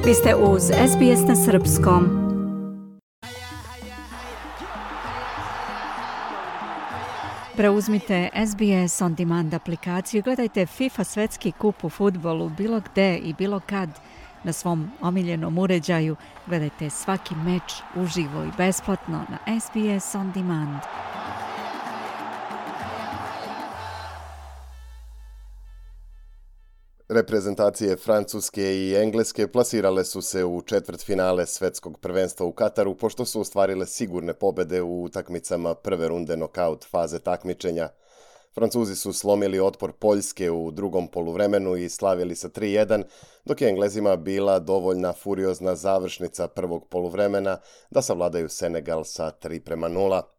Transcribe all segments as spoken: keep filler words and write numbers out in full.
Vi ste uz S B S na srpskom. Preuzmite S B S On Demand aplikaciju i gledajte FIFA svetski kup u fudbalu bilo gde i bilo kad na svom omiljenom uređaju. Gledajte svaki meč uživo i besplatno na S B S On Demand. Reprezentacije Francuske i Engleske plasirale su se u četvrtfinale svetskog prvenstva u Kataru pošto su ostvarile sigurne pobede u utakmicama prve runde nokaut faze takmičenja. Francuzi su slomili otpor Poljske u drugom poluvremenu i slavili sa tri jedan, dok je Englezima bila dovoljna furiozna završnica prvog poluvremena da savladaju Senegal sa tri prema nula.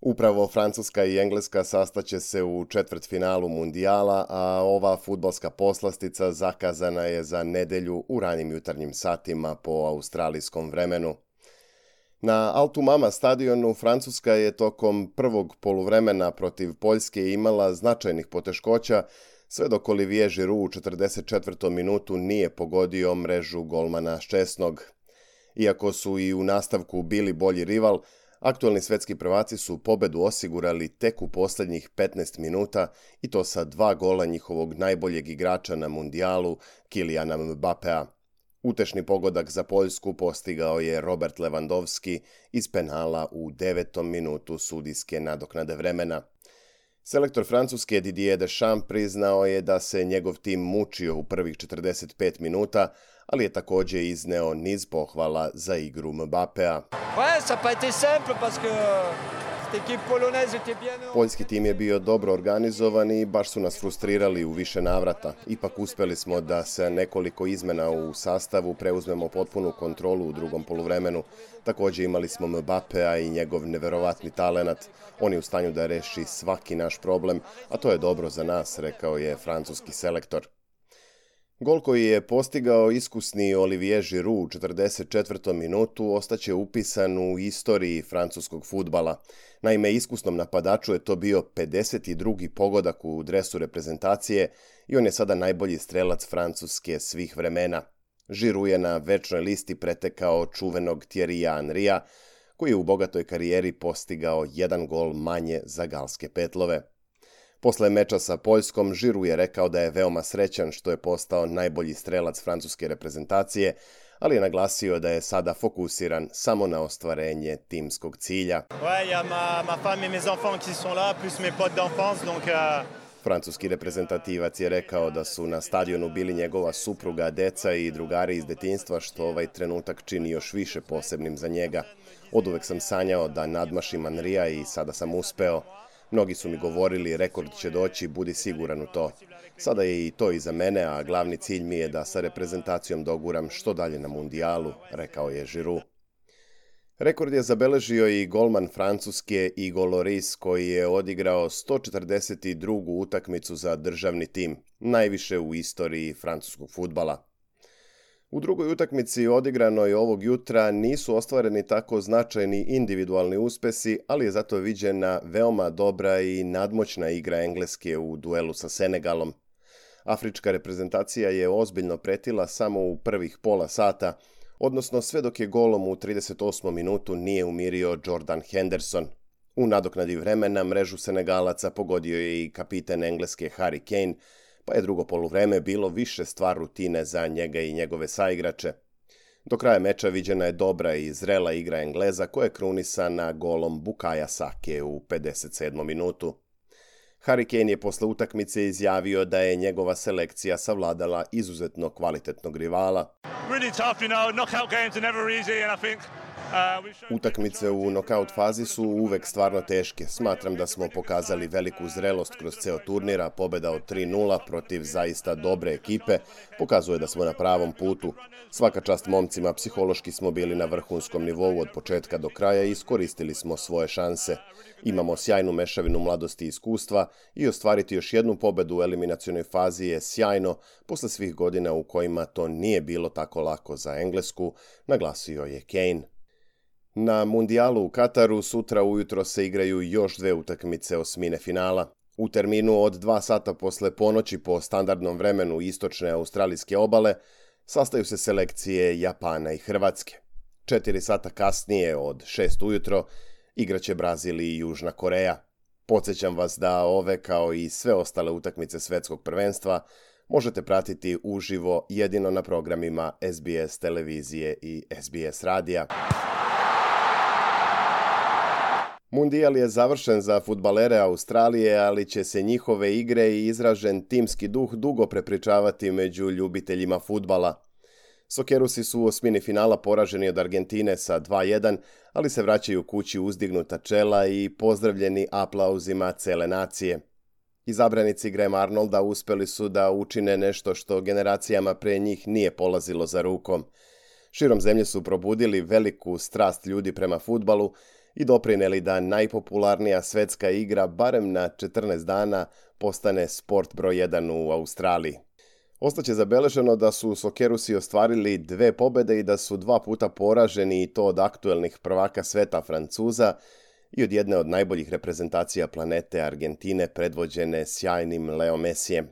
Upravo Francuska i Engleska sastaće se u četvrtfinalu mundijala, a ova fudbalska poslastica zakazana je za nedelju u ranijim jutarnjim satima po australijskom vremenu. Na Altumama stadionu Francuska je tokom prvog poluvremena protiv Poljske imala značajnih poteškoća, sve dok Olivier Giroud u četrdeset četvrtom minutu nije pogodio mrežu golmana Ščesnog. Iako su i u nastavku bili bolji rival, aktualni svetski prvaci su pobedu osigurali tek u posljednjih petnaest minuta i to sa dva gola njihovog najboljeg igrača na mundijalu, Kyliana Mbappéa. Utešni pogodak za Poljsku postigao je Robert Lewandowski iz penala u devetom minutu sudijske nadoknade vremena. Selektor Francuske Didier Deschamps priznao je da se njegov tim mučio u prvih četrdeset pet minuta, ali je također izneo niz pohvala za igru Mbappéa. Poljski tim je bio dobro organizovan i baš su nas frustrirali u više navrata. Ipak uspjeli smo da se nekoliko izmena u sastavu preuzmemo potpunu kontrolu u drugom poluvremenu. Također imali smo Mbappéa i njegov neverovatni talenat. On je u stanju da reši svaki naš problem, a to je dobro za nas, rekao je francuski selektor. Gol koji je postigao iskusni Olivier Giroud u četrdeset četvrtom minutu ostaće upisan u istoriji francuskog fudbala. Naime, iskusnom napadaču je to bio pedeset drugi pogodak u dresu reprezentacije i on je sada najbolji strelac Francuske svih vremena. Giroud je na večnoj listi pretekao čuvenog Thierrya Henrya, koji je u bogatoj karijeri postigao jedan gol manje za galske petlove. Posle meča sa Poljskom, Giroud je rekao da je veoma srećan što je postao najbolji strelac francuske reprezentacije, ali je naglasio da je sada fokusiran samo na ostvarenje timskog cilja. Francuski reprezentativac je rekao da su na stadionu bili njegova supruga, deca i drugari iz detinjstva, što ovaj trenutak čini još više posebnim za njega. Oduvek sam sanjao da nadmašim Henrya i sada sam uspeo. Mnogi su mi govorili, rekord će doći, budi siguran u to. Sada je i to iza mene, a glavni cilj mi je da sa reprezentacijom doguram što dalje na mundijalu, rekao je Giroud. Rekord je zabeležio i golman Francuske Hugo Lloris, koji je odigrao sto četrdeset drugu utakmicu za državni tim, najviše u istoriji francuskog fudbala. U drugoj utakmici odigranoj ovog jutra nisu ostvareni tako značajni individualni uspesi, ali je zato viđena veoma dobra i nadmoćna igra Engleske u duelu sa Senegalom. Afrička reprezentacija je ozbiljno pretila samo u prvih pola sata, odnosno sve dok je golom u trideset osmom minutu nije umirio Jordan Henderson. U nadoknadi vremena mrežu Senegalaca pogodio je i kapiten Engleske Harry Kane, pa je drugo poluvreme bilo više stvar rutine za njega i njegove saigrače. Do kraja meča viđena je dobra i zrela igra Engleza koja je krunisana golom Bukaya Sake u pedeset sedmom minutu. Harry Kane je posle utakmice izjavio da je njegova selekcija savladala izuzetno kvalitetnog rivala. Really tough, you know, knockout games are never easy and I think Utakmice u nokaut fazi su uvek stvarno teške. Smatram da smo pokazali veliku zrelost kroz ceo turnira. Pobeda od tri nula protiv zaista dobre ekipe pokazuje da smo na pravom putu. Svaka čast momcima, psihološki smo bili na vrhunskom nivou od početka do kraja i iskoristili smo svoje šanse. Imamo sjajnu mešavinu mladosti i iskustva i ostvariti još jednu pobedu u eliminacionoj fazi je sjajno posle svih godina u kojima to nije bilo tako lako za Englesku, naglasio je Kane. Na mundijalu u Kataru sutra ujutro se igraju još dve utakmice osmine finala. U terminu od dva sata posle ponoći po standardnom vremenu istočne australijske obale, Sastaju se selekcije Japana i Hrvatske. Četiri sata kasnije od šest ujutro igraće Brazil i Južna Koreja. Podsjećam vas da ove kao i sve ostale utakmice svetskog prvenstva možete pratiti uživo jedino na programima S B S televizije i S B S radija. Mundijal je završen za fudbalere Australije, ali će se njihove igre i izražen timski duh dugo prepričavati među ljubiteljima fudbala. Sokerusi su u osmini finala poraženi od Argentine sa dva jedan, ali se vraćaju kući uzdignuta čela i pozdravljeni aplauzima cele nacije. Izabranici Graham Arnolda uspeli su da učine nešto što generacijama pre njih nije polazilo za rukom. Širom zemlje su probudili veliku strast ljudi prema fudbalu i doprineli da najpopularnija svetska igra barem na četrnaest dana postane sport broj jedan u Australiji. Ostaće zabeleženo da su Sokerusi ostvarili dve pobede i da su dva puta poraženi i to od aktuelnih prvaka sveta Francuza i od jedne od najboljih reprezentacija planete Argentine predvođene sjajnim Leo Messijem.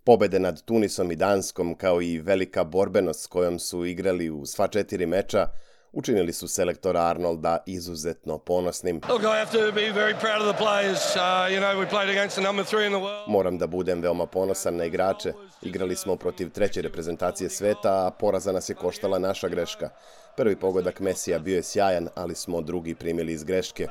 Pobede nad Tunisom i Danskom kao i velika borbenost s kojom su igrali u sva četiri meča učinili su selektora Arnolda izuzetno ponosnim. Moram da budem veoma ponosan na igrače. Igrali smo protiv treće reprezentacije sveta, a poraza nas je koštala naša greška. Prvi pogodak Messija bio je sjajan, ali smo drugi primili iz greške.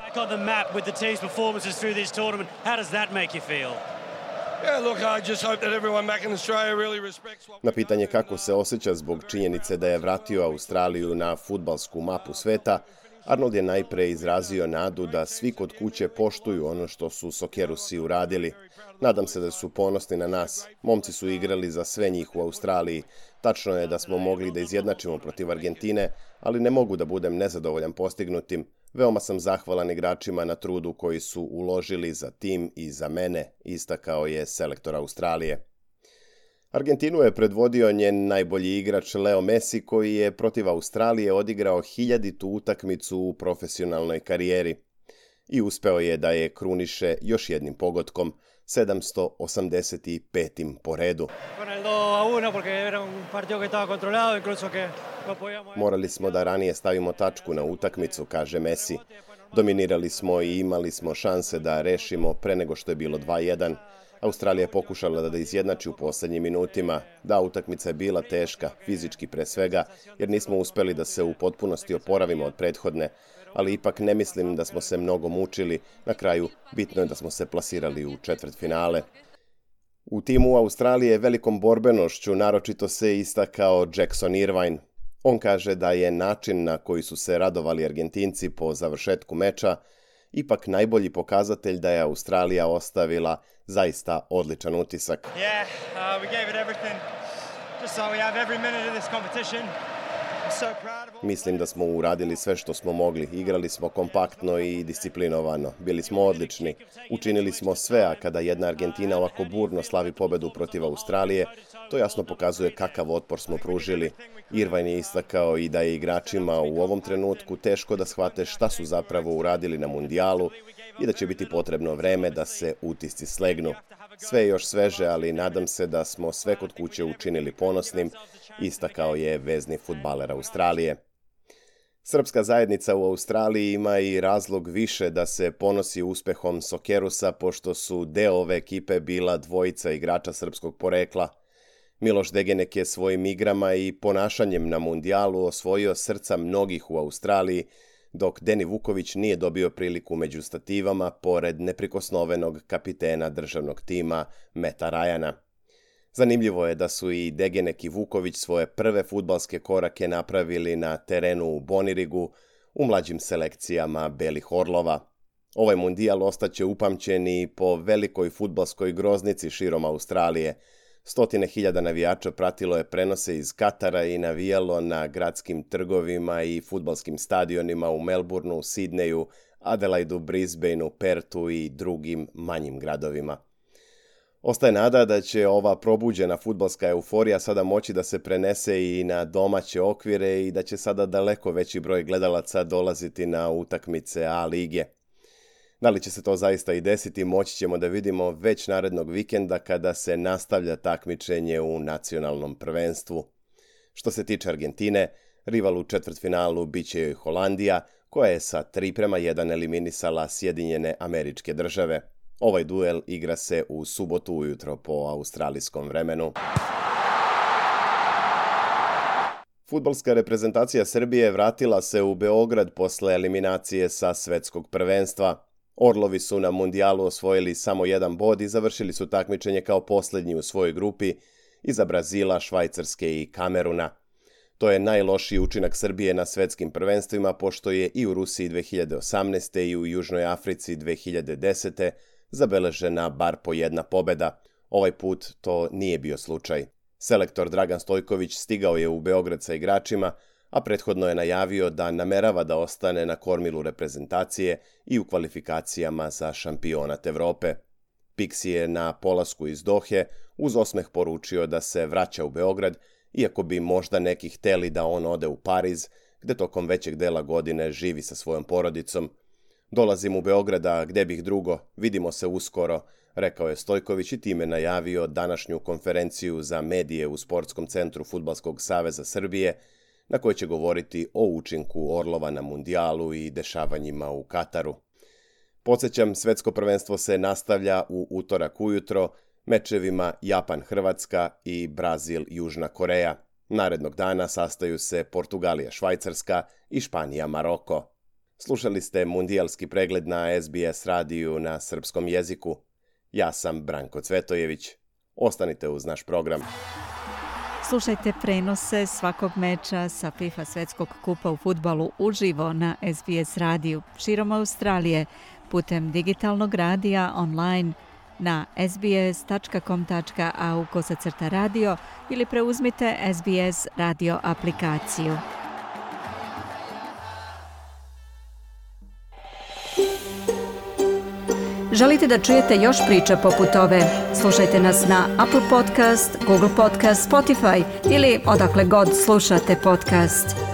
Na pitanje kako se osjeća zbog činjenice da je vratio Australiju na fudbalsku mapu sveta, Arnold je najpre izrazio nadu da svi kod kuće poštuju ono što su Sokerusi uradili. Nadam se da su ponosni na nas. Momci su igrali za sve njih u Australiji. Tačno je da smo mogli da izjednačimo protiv Argentine, ali ne mogu da budem nezadovoljan postignutim. Veoma sam zahvalan igračima na trudu koji su uložili za tim i za mene, istakao je selektor Australije. Argentinu je predvodio njen najbolji igrač Leo Messi koji je protiv Australije odigrao hiljaditu utakmicu u profesionalnoj karijeri i uspeo je da je kruniše još jednim pogodkom, sedamsto osamdeset petim po redu. Morali smo da ranije stavimo tačku na utakmicu, kaže Messi. Dominirali smo i imali smo šanse da rešimo pre nego što je bilo dva jedan. Australija je pokušala da izjednači u poslednjim minutima. Da, utakmica je bila teška, fizički pre svega, jer nismo uspeli da se u potpunosti oporavimo od prethodne, ali ipak ne mislim da smo se mnogo mučili. Na kraju, bitno je da smo se plasirali u četvrtfinale. U timu Australije velikom borbenošću naročito se istakao Jackson Irvine. On kaže da je način na koji su se radovali Argentinci po završetku meča ipak najbolji pokazatelj da je Australija ostavila zaista odličan utisak. Yeah, uh, we gave it everything. Just so we have every minute of this competition. Mislim da smo uradili sve što smo mogli. Igrali smo kompaktno i disciplinovano. Bili smo odlični. Učinili smo sve, a kada jedna Argentina ovako burno slavi pobedu protiv Australije, to jasno pokazuje kakav otpor smo pružili. Irvine je istakao i da je igračima u ovom trenutku teško da shvate šta su zapravo uradili na mundijalu i da će biti potrebno vreme da se utisci slegnu. Sve je još sveže, ali nadam se da smo sve kod kuće učinili ponosnim, istakao je vezni fudbaler Australije. Srpska zajednica u Australiji ima i razlog više da se ponosi uspehom Sokerusa, pošto su deo ove ekipe bila dvojica igrača srpskog porekla. Miloš Degenek je svojim igrama i ponašanjem na mundijalu osvojio srca mnogih u Australiji, dok Deni Vuković nije dobio priliku među stativama pored neprikosnovenog kapitena državnog tima Meta Ryana. Zanimljivo je da su i Degenek i Vuković svoje prve fudbalske korake napravili na terenu u Bonirigu u mlađim selekcijama Belih Orlova. Ovaj mundijal ostaće upamćen i po velikoj fudbalskoj groznici širom Australije. Stotine hiljada navijača pratilo je prenose iz Katara i navijalo na gradskim trgovima i fudbalskim stadionima u Melbourneu, Sidneju, Adelaidu, Brisbaneu, Pertu i drugim manjim gradovima. Ostaje nada da će ova probuđena fudbalska euforija sada moći da se prenese i na domaće okvire i da će sada daleko veći broj gledalaca dolaziti na utakmice A lige. Da li će se to zaista i desiti, moći ćemo da vidimo već narednog vikenda kada se nastavlja takmičenje u nacionalnom prvenstvu. Što se tiče Argentine, rival u četvrtfinalu biće joj Holandija, koja je sa tri prema jedan eliminisala Sjedinjene Američke Države. Ovaj duel igra se u subotu ujutro po australijskom vremenu. Fudbalska reprezentacija Srbije vratila se u Beograd posle eliminacije sa svetskog prvenstva. Orlovi su na mundijalu osvojili samo jedan bod i završili su takmičenje kao posljednji u svojoj grupi iza Brazila, Švajcarske i Kameruna. To je najlošiji učinak Srbije na svetskim prvenstvima, pošto je i u Rusiji dve hiljade osamnaeste. i u Južnoj Africi dve hiljade desete. zabeležena bar po jedna pobeda. Ovaj put to nije bio slučaj. Selektor Dragan Stojković stigao je u Beograd sa igračima, a prethodno je najavio da namerava da ostane na kormilu reprezentacije i u kvalifikacijama za šampionat Evrope. Pixi je na polasku iz Dohe uz osmeh poručio da se vraća u Beograd, iako bi možda neki hteli da on ode u Pariz, gde tokom većeg dela godine živi sa svojom porodicom. Dolazim u Beograda, gde bih drugo, vidimo se uskoro, rekao je Stojković i time najavio današnju konferenciju za medije u Sportskom centru Fudbalskog saveza Srbije, na kojoj će govoriti o učinku Orlova na mundijalu i dešavanjima u Kataru. Podsjećam, svetsko prvenstvo se nastavlja u utorak ujutro mečevima Japan-Hrvatska i Brazil-Južna Koreja. Narednog dana sastaju se Portugalija-Švajcarska i Španija-Maroko. Slušali ste mundijalski pregled na S B S radiju na srpskom jeziku. Ja sam Branko Cvetojević. Ostanite uz naš program. Slušajte prenose svakog meča sa FIFA svetskog kupa u fudbalu uživo na S B S radiju širom Australije putem digitalnog radija online na sbs tačka com tačka a u kosacrta radio ili preuzmite S B S radio aplikaciju. Želite da čujete još priča poput ove? Slušajte nas na Apple Podcast, Google Podcast, Spotify ili odakle god slušate podcast.